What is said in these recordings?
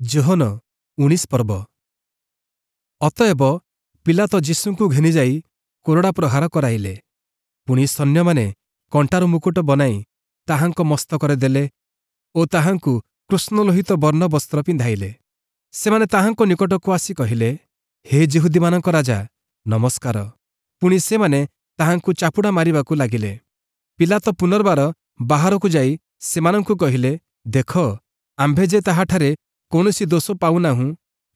ଯୋହନ 19 ପର୍ବ। ଅତଏବ ପୀଲାତ ଯୀଶୁଙ୍କୁ ଘେନିଯାଇ କୋରଡ଼ା ପ୍ରହାର କରାଇଲେ। ପୁଣି ସୈନ୍ୟମାନେ କଣ୍ଟାର ମୁକୁଟ ବନାଇ ତାହାଙ୍କ ମସ୍ତକରେ ଦେଲେ ଓ ତାହାଙ୍କୁ କୃଷ୍ଣଲୋହିତ ବର୍ଣ୍ଣ ବସ୍ତ୍ର ପିନ୍ଧାଇଲେ। ସେମାନେ ତାହାଙ୍କ ନିକଟକୁ ଆସି କହିଲେ, ହେ ଯିହୁଦୀମାନଙ୍କ ରାଜା, ନମସ୍କାର। ପୁଣି ସେମାନେ ତାହାଙ୍କୁ ଚାପୁଡ଼ା ମାରିବାକୁ ଲାଗିଲେ। ପୀଲାତ ପୁନର୍ବାର ବାହାରକୁ ଯାଇ ସେମାନଙ୍କୁ କହିଲେ, ଦେଖ, ଆମ୍ଭେ ଯେ ତାହାଠାରେ କୌଣସି ଦୋଷ ପାଉନାହୁଁ,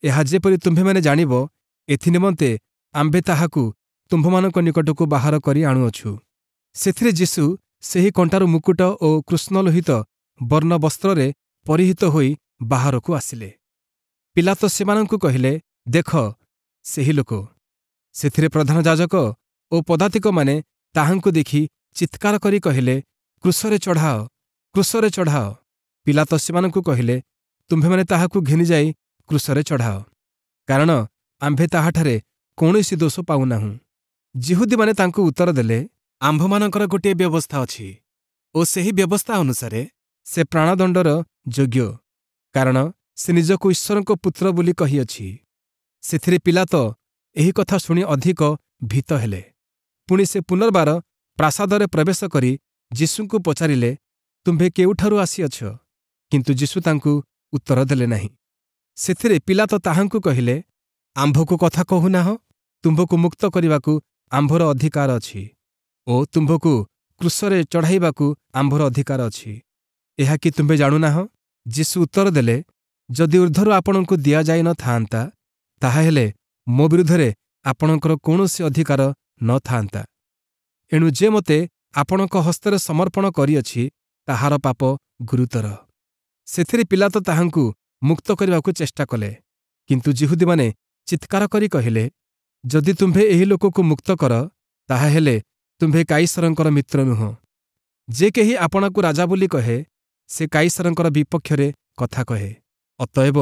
ଏହା ଯେପରି ତୁମ୍ଭେମାନେ ଜାଣିବ, ଏଥିନିମନ୍ତେ ଆମ୍ଭେ ତାହାକୁ ତୁମ୍ଭମାନଙ୍କ ନିକଟକୁ ବାହାର କରି ଆଣୁଅଛୁ। ସେଥିରେ ଯୀଶୁ ସେହି କଣ୍ଟାର ମୁକୁଟ ଓ କୃଷ୍ଣଲୋହିତ ବର୍ଣ୍ଣ ବସ୍ତ୍ରରେ ପରିହିତ ହୋଇ ବାହାରକୁ ଆସିଲେ। ପୀଲାତ ସେମାନଙ୍କୁ କହିଲେ, ଦେଖ, ସେହି ଲୋକ। ସେଥିରେ ପ୍ରଧାନ ଯାଜକ ଓ ପଦାତିକମାନେ ତାହାଙ୍କୁ ଦେଖି ଚିତ୍କାର କରି କହିଲେ, କ୍ରୁଶରେ ଚଢ଼ାଅ, କ୍ରୁଶରେ ଚଢ଼ାଅ। ପୀଲାତ ସେମାନଙ୍କୁ କହିଲେ, ତୁମ୍ଭେମାନେ ତାହାକୁ ଘେନିଯାଇ କ୍ରୁଶରେ ଚଢ଼ାଅ, କାରଣ ଆମ୍ଭେ ତାହାଠାରେ କୌଣସି ଦୋଷ ପାଉନାହୁଁ। ଯିହୁଦୀମାନେ ତାଙ୍କୁ ଉତ୍ତର ଦେଲେ, ଆମ୍ଭମାନଙ୍କର ଗୋଟିଏ ବ୍ୟବସ୍ଥା ଅଛି ଓ ସେହି ବ୍ୟବସ୍ଥା ଅନୁସାରେ ସେ ପ୍ରାଣଦଣ୍ଡର ଯୋଗ୍ୟ, କାରଣ ସେ ନିଜକୁ ଈଶ୍ୱରଙ୍କ ପୁତ୍ର ବୋଲି କହିଅଛି। ସେଥିରେ ପୀଲାତ ଏହି କଥା ଶୁଣି ଅଧିକ ଭୀତ ହେଲେ। ପୁଣି ସେ ପୁନର୍ବାର ପ୍ରାସାଦରେ ପ୍ରବେଶ କରି ଯୀଶୁଙ୍କୁ ପଚାରିଲେ, ତୁମ୍ଭେ କେଉଁଠାରୁ ଆସିଅଛ? କିନ୍ତୁ ଯୀଶୁ ତାଙ୍କୁ ଉତ୍ତର ଦେଲେ ନାହିଁ। ସେଥିରେ ପୀଲାତ ତାହାଙ୍କୁ କହିଲେ, ଆମ୍ଭକୁ କଥା କହୁନାହଁ? ତୁମ୍ଭକୁ ମୁକ୍ତ କରିବାକୁ ଆମ୍ଭର ଅଧିକାର ଅଛି ଓ ତୁମ୍ଭକୁ କ୍ରୁଶରେ ଚଢ଼ାଇବାକୁ ଆମ୍ଭର ଅଧିକାର ଅଛି, ଏହା କି ତୁମ୍ଭେ ଜାଣୁନାହଁ? ଯୀଶୁ ଉତ୍ତର ଦେଲେ, ଯଦି ଊର୍ଦ୍ଧ୍ୱରୁ ଆପଣଙ୍କୁ ଦିଆଯାଇ ନ ଥାଆନ୍ତା, ତାହାହେଲେ ମୋ ବିରୁଦ୍ଧରେ ଆପଣଙ୍କର କୌଣସି ଅଧିକାର ନ ଥାଆନ୍ତା। ଏଣୁ ଯେ ମୋତେ ଆପଣଙ୍କ ହସ୍ତରେ ସମର୍ପଣ କରିଅଛି, ତାହାର ପାପ ଗୁରୁତର। ସେଥିରେ ପୀଲାତ ତାହାଙ୍କୁ ମୁକ୍ତ କରିବାକୁ ଚେଷ୍ଟା କଲେ, କିନ୍ତୁ ଯିହୁଦୀମାନେ ଚିତ୍କାର କରି କହିଲେ, ଯଦି ତୁମ୍ଭେ ଏହି ଲୋକକୁ ମୁକ୍ତ କର, ତାହାହେଲେ ତୁମ୍ଭେ କାଇସରଙ୍କର ମିତ୍ର ନୁହଁ। ଯେ କେହି ଆପଣାକୁ ରାଜା ବୋଲି କହେ, ସେ କାଇସରଙ୍କର ବିପକ୍ଷରେ କଥା କହେ। ଅତଏବ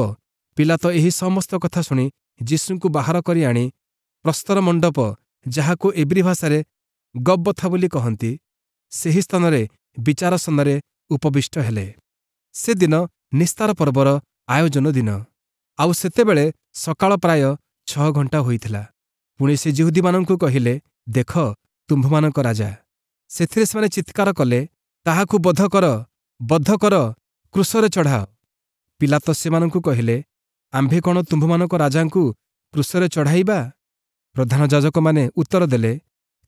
ପୀଲାତ ଏହି ସମସ୍ତ କଥା ଶୁଣି ଯୀଶୁଙ୍କୁ ବାହାର କରି ଆଣି ପ୍ରସ୍ତର ମଣ୍ଡପ, ଯାହାକୁ ଏବ୍ରୀ ଭାଷାରେ ଗବ୍ବଥା ବୋଲି କହନ୍ତି, ସେହି ସ୍ଥାନରେ ବିଚାରାସନରେ ଉପବିଷ୍ଟ ହେଲେ। ସେଦିନ ନିସ୍ତାର ପର୍ବର ଆୟୋଜନ ଦିନ, ଆଉ ସେତେବେଳେ ସକାଳ ପ୍ରାୟ 6 ଘଣ୍ଟା ହୋଇଥିଲା। ପୁଣି ସେ ଯିହୁଦୀମାନଙ୍କୁ କହିଲେ, ଦେଖ, ତୁମ୍ଭମାନଙ୍କ ରାଜା। ସେଥିରେ ସେମାନେ ଚିତ୍କାର କଲେ, ତାହାକୁ ବଧ କର, ବଧ କର, କ୍ରୁଶରେ ଚଢ଼ାଅ। ପୀଲାତ ସେମାନଙ୍କୁ କହିଲେ, ଆମ୍ଭେ କ'ଣ ତୁମ୍ଭମାନଙ୍କ ରାଜାଙ୍କୁ କ୍ରୁଶରେ ଚଢ଼ାଇବା? ପ୍ରଧାନ ଯାଜକମାନେ ଉତ୍ତର ଦେଲେ,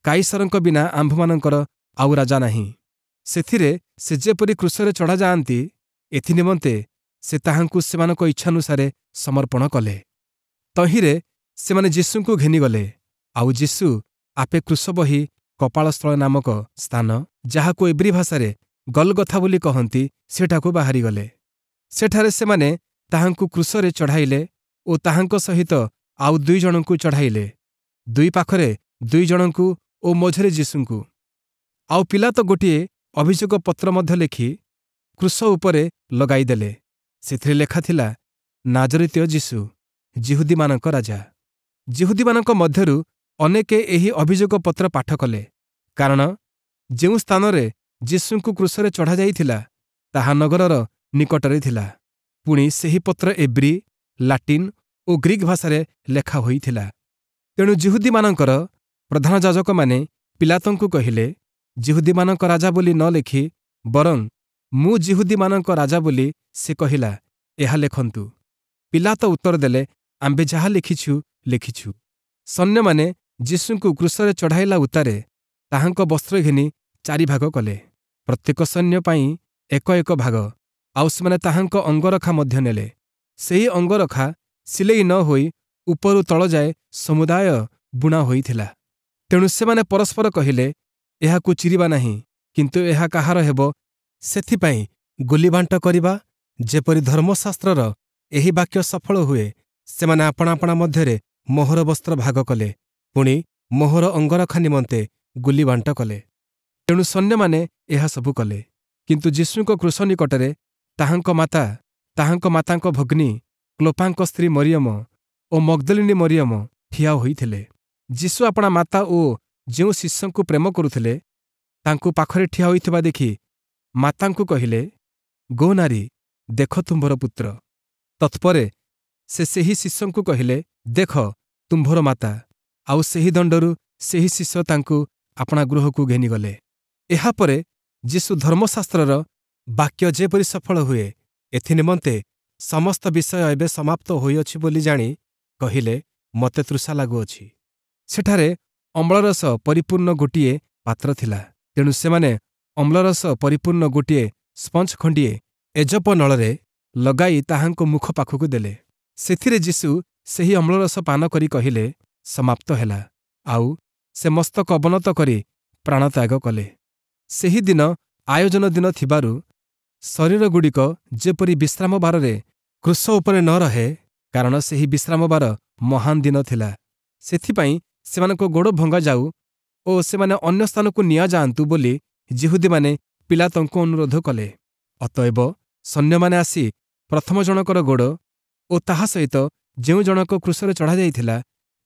କାଇସରଙ୍କ ବିନା ଆମ୍ଭମାନଙ୍କର ଆଉ ରାଜା ନାହିଁ। ସେଥିରେ ସେ ଯେପରି କ୍ରୁଶରେ ଚଢ଼ାଯାଆନ୍ତି, ଏଥିନିମନ୍ତେ ସେ ତାହାଙ୍କୁ ସେମାନଙ୍କ ଇଚ୍ଛାନୁସାରେ ସମର୍ପଣ କଲେ। ତହିଁରେ ସେମାନେ ଯୀଶୁଙ୍କୁ ଘେନିଗଲେ। ଆଉ ଯୀଶୁ ଆପେ କ୍ରୁଶ ବହି କପାଳସ୍ଥଳ ନାମକ ସ୍ଥାନ, ଯାହାକୁ ଏବ୍ରୀ ଭାଷାରେ ଗଲଗଥା ବୋଲି କହନ୍ତି, ସେଠାକୁ ବାହାରିଗଲେ। ସେଠାରେ ସେମାନେ ତାହାଙ୍କୁ କ୍ରୁଶରେ ଚଢ଼ାଇଲେ ଓ ତାହାଙ୍କ ସହିତ ଆଉ 2 ଜଣଙ୍କୁ ଚଢ଼ାଇଲେ, ଦୁଇ ପାଖରେ 2 ଜଣଙ୍କୁ ଓ ମଝିରେ ଯୀଶୁଙ୍କୁ। ଆଉ ପୀଲାତ ଗୋଟିଏ ଅଭିଯୋଗ ପତ୍ର ମଧ୍ୟ ଲେଖି କ୍ରୁଶ ଉପରେ ଲଗାଇଦେଲେ। ସେଥିରେ ଲେଖାଥିଲା, ନାଜରିତୀୟ ଯୀଶୁ, ଯିହୁଦୀମାନଙ୍କ ରାଜା। ଯିହୁଦୀମାନଙ୍କ ମଧ୍ୟରୁ ଅନେକେ ଏହି ଅଭିଯୋଗ ପତ୍ର ପାଠ କଲେ, କାରଣ ଯେଉଁ ସ୍ଥାନରେ ଯୀଶୁଙ୍କୁ କ୍ରୁଶରେ ଚଢ଼ାଯାଇଥିଲା, ତାହା ନଗରର ନିକଟରେ ଥିଲା। ପୁଣି ସେହି ପତ୍ର ଏବ୍ରୀ, ଲାଟିନ୍ ଓ ଗ୍ରୀକ୍ ଭାଷାରେ ଲେଖା ହୋଇଥିଲା। ତେଣୁ ଯିହୁଦୀମାନଙ୍କର ପ୍ରଧାନ ଯାଜକମାନେ ପୀଲାତଙ୍କୁ କହିଲେ, ଯିହୁଦୀମାନଙ୍କ ରାଜା ବୋଲି ନ ଲେଖି ବରଂ ମୁଁ ଯିହୁଦୀମାନଙ୍କ ରାଜା ବୋଲି ସେ କହିଲା, ଏହା ଲେଖନ୍ତୁ। ପୀଲାତ ଉତ୍ତର ଦେଲେ, ଆମ୍ଭେ ଯାହା ଲେଖିଛୁ ଲେଖିଛୁ। ସୈନ୍ୟମାନେ ଯୀଶୁଙ୍କୁ କ୍ରୁଶରେ ଚଢ଼ାଇଲା ଉତ୍ତାରେ ତାହାଙ୍କ ବସ୍ତ୍ର ଘେନି 4 ଭାଗ କଲେ, ପ୍ରତ୍ୟେକ ସୈନ୍ୟ ପାଇଁ ଏକ ଏକ ଭାଗ। ଆଉ ସେମାନେ ତାହାଙ୍କ ଅଙ୍ଗରଖା ମଧ୍ୟ ନେଲେ। ସେହି ଅଙ୍ଗରଖା ସିଲେଇ ନ ହୋଇ ଉପରୁ ତଳ ଯାଏ ସମୁଦାୟ ବୁଣା ହୋଇଥିଲା। ତେଣୁ ସେମାନେ ପରସ୍ପର କହିଲେ, ଏହାକୁ ଚିରିବା ନାହିଁ, କିନ୍ତୁ ଏହା କାହାର ହେବ ସେଥିପାଇଁ ଗୁଲିବାଣ୍ଟ କରିବା, ଯେପରି ଧର୍ମଶାସ୍ତ୍ରର ଏହି ବାକ୍ୟ ସଫଳ ହୁଏ। ସେମାନେ ଆପଣା ଆପଣା ମଧ୍ୟରେ ମୋହର ବସ୍ତ୍ର ଭାଗ କଲେ, ପୁଣି ମୋହର ଅଙ୍ଗରଖା ନିମନ୍ତେ ଗୁଲିବାଣ୍ଟ କଲେ। ତେଣୁ ସୈନ୍ୟମାନେ ଏହା ସବୁ କଲେ। କିନ୍ତୁ ଯୀଶୁଙ୍କ କ୍ରୁଶ ନିକଟରେ ତାହାଙ୍କ ମାତା, ତାହାଙ୍କ ମାତାଙ୍କ ଭଗ୍ନୀ କ୍ଲୋପାଙ୍କ ସ୍ତ୍ରୀ ମରିୟମ ଓ ମଗ୍ଦଲିନୀ ମରିୟମ ଠିଆ ହୋଇଥିଲେ। ଯୀଶୁ ଆପଣା ମାତା ଓ ଯେଉଁ ଶିଷ୍ୟଙ୍କୁ ପ୍ରେମ କରୁଥିଲେ, ତାଙ୍କୁ ପାଖରେ ଠିଆ ହୋଇଥିବା ଦେଖି ମାତାଙ୍କୁ କହିଲେ, ଗୋ ନାରୀ, ଦେଖ ତୁମ୍ଭର ପୁତ୍ର। ତତ୍ପରେ ସେ ସେହି ଶିଷ୍ୟଙ୍କୁ କହିଲେ, ଦେଖ, ତୁମ୍ଭର ମାତା। ଆଉ ସେହି ଦଣ୍ଡରୁ ସେହି ଶିଷ୍ୟ ତାଙ୍କୁ ଆପଣା ଗୃହକୁ ଘେନିଗଲେ। ଏହାପରେ ଯୀଶୁ ଧର୍ମଶାସ୍ତ୍ରର ବାକ୍ୟ ଯେପରି ସଫଳ ହୁଏ, ଏଥିନିମନ୍ତେ ସମସ୍ତ ବିଷୟ ଏବେ ସମାପ୍ତ ହୋଇଅଛି ବୋଲି ଜାଣି କହିଲେ, ମୋତେ ତୃଷା ଲାଗୁଅଛି। ସେଠାରେ ଅମ୍ଳରସ ପରିପୂର୍ଣ୍ଣ ଗୋଟିଏ ପାତ୍ର ଥିଲା। ତେଣୁ ସେମାନେ ଅମ୍ଳରସ ପରିପୂର୍ଣ୍ଣ ଗୋଟିଏ ସ୍ପଞ୍ଜ ଖଣ୍ଡିଏ ଏଜପ ନଳରେ ଲଗାଇ ତାହାଙ୍କ ମୁଖ ପାଖକୁ ଦେଲେ। ସେଥିରେ ଯୀଶୁ ସେହି ଅମ୍ଳରସ ପାନ କରି କହିଲେ, ସମାପ୍ତ ହେଲା। ଆଉ ସେ ମସ୍ତକ ଅବନତ କରି ପ୍ରାଣତ୍ୟାଗ କଲେ। ସେହି ଦିନ ଆୟୋଜନ ଦିନ ଥିବାରୁ ଶରୀରଗୁଡ଼ିକ ଯେପରି ବିଶ୍ରାମବାରରେ କ୍ରୁଶ ଉପରେ ନ ରହେ, କାରଣ ସେହି ବିଶ୍ରାମବାର ମହାନ ଦିନ ଥିଲା, ସେଥିପାଇଁ ସେମାନଙ୍କ ଗୋଡ଼ ଭଙ୍ଗାଯାଉ ଓ ସେମାନେ ଅନ୍ୟ ସ୍ଥାନକୁ ନିଆଯାଆନ୍ତୁ ବୋଲି ଯିହୁଦୀମାନେ ପିଲାତଙ୍କୁ ଅନୁରୋଧ କଲେ। ଅତଏବ ସୈନ୍ୟମାନେ ଆସି ପ୍ରଥମ ଜଣକର ଗୋଡ଼ ଓ ତାହା ସହିତ ଯେଉଁ ଜଣକ କ୍ରୁଶରେ ଚଢ଼ାଯାଇଥିଲା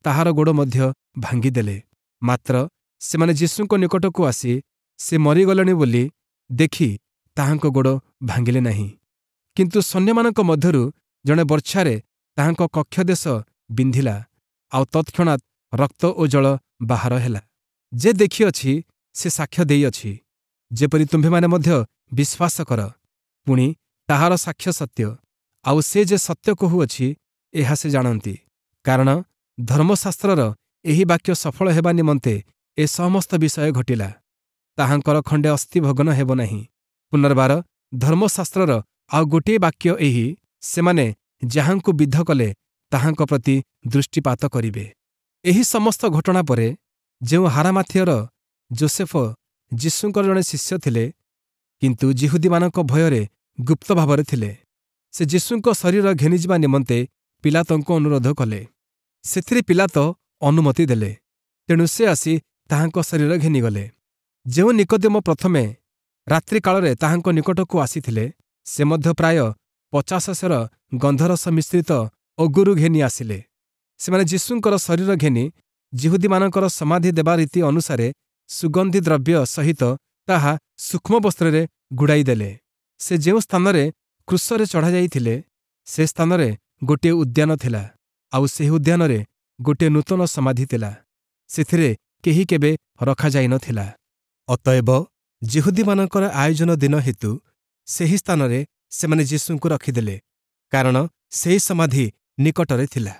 ତାହାର ଗୋଡ଼ ମଧ୍ୟ ଭାଙ୍ଗିଦେଲେ। ମାତ୍ର ସେମାନେ ଯୀଶୁଙ୍କ ନିକଟକୁ ଆସି ସେ ମରିଗଲେଣି ବୋଲି ଦେଖି ତାହାଙ୍କ ଗୋଡ଼ ଭାଙ୍ଗିଲେ ନାହିଁ। କିନ୍ତୁ ସୈନ୍ୟମାନଙ୍କ ମଧ୍ୟରୁ ଜଣେ ବର୍ଚ୍ଛାରେ ତାହାଙ୍କ କକ୍ଷଦେଶ ବିନ୍ଧିଲା, ଆଉ ତତ୍କ୍ଷଣାତ୍ ରକ୍ତ ଓ ଜଳ ବାହାର ହେଲା। ଯେ ଦେଖିଅଛି ସେ ସାକ୍ଷ୍ୟ ଦେଇଅଛି, ଯେପରି ତୁମ୍ଭେମାନେ ମଧ୍ୟ ବିଶ୍ୱାସ କର। ପୁଣି ତାହାର ସାକ୍ଷ୍ୟ ସତ୍ୟ, ଆଉ ସେ ଯେ ସତ୍ୟ କହୁଅଛି ଏହା ସେ ଜାଣନ୍ତି। କାରଣ ଧର୍ମଶାସ୍ତ୍ରର ଏହି ବାକ୍ୟ ସଫଳ ହେବା ନିମନ୍ତେ ଏ ସମସ୍ତ ବିଷୟ ଘଟିଲା, ତାହାଙ୍କର ଖଣ୍ଡେ ଅସ୍ଥି ଭଗ୍ନ ହେବ ନାହିଁ। ପୁନର୍ବାର ଧର୍ମଶାସ୍ତ୍ରର ଆଉ ଗୋଟିଏ ବାକ୍ୟ ଏହି, ସେମାନେ ଯାହାଙ୍କୁ ବିଦ୍ଧ କଲେ ତାହାଙ୍କ ପ୍ରତି ଦୃଷ୍ଟିପାତ କରିବେ। ଏହି ସମସ୍ତ ଘଟଣା ପରେ ଯେଉଁ ହାରାମାଥିୟର ଯୋସେଫ ଯୀଶୁଙ୍କର ଜଣେ ଶିଷ୍ୟ ଥିଲେ, କିନ୍ତୁ ଯିହୁଦୀମାନଙ୍କ ଭୟରେ ଗୁପ୍ତ ଭାବରେ ଥିଲେ, ସେ ଯୀଶୁଙ୍କ ଶରୀର ଘେନିଯିବା ନିମନ୍ତେ ପିଲାତଙ୍କୁ ଅନୁରୋଧ କଲେ। ସେଥିରେ ପିଲାତ ଅନୁମତି ଦେଲେ। ତେଣୁ ସେ ଆସି ତାହାଙ୍କ ଶରୀର ଘେନିଗଲେ। ଯେଉଁ ନିକୋଦିମ ପ୍ରଥମେ ରାତ୍ରିକାଳରେ ତାହାଙ୍କ ନିକଟକୁ ଆସିଥିଲେ, ସେ ମଧ୍ୟ ପ୍ରାୟ 50 ସେର ଗନ୍ଧରସ ମିଶ୍ରିତ ଅଗୁରୁ ଘେନି ଆସିଲେ। ସେମାନେ ଯୀଶୁଙ୍କର ଶରୀର ଘେନି ଯିହୁଦୀମାନଙ୍କର ସମାଧି ଦେବା ରୀତି ଅନୁସାରେ ସୁଗନ୍ଧି ଦ୍ରବ୍ୟ ସହିତ ତାହା ସୂକ୍ଷ୍ମ ବସ୍ତ୍ରରେ ଗୁଡ଼ାଇ ଦେଲେ। ସେ ଯେଉଁ ସ୍ଥାନରେ କ୍ରୁଶରେ ଚଢ଼ାଯାଇଥିଲେ, ସେ ସ୍ଥାନରେ ଗୋଟିଏ ଉଦ୍ୟାନ ଥିଲା, ଆଉ ସେହି ଉଦ୍ୟାନରେ ଗୋଟିଏ ନୂତନ ସମାଧି ଥିଲା। ସେଥିରେ କେହି କେବେ ରଖାଯାଇନଥିଲା। ଅତଏବ ଯିହୁଦୀମାନଙ୍କର ଆୟୋଜନ ଦିନ ହେତୁ ସେହି ସ୍ଥାନରେ ସେମାନେ ଯୀଶୁଙ୍କୁ ରଖିଦେଲେ, କାରଣ ସେହି ସମାଧି ନିକଟରେ ଥିଲା।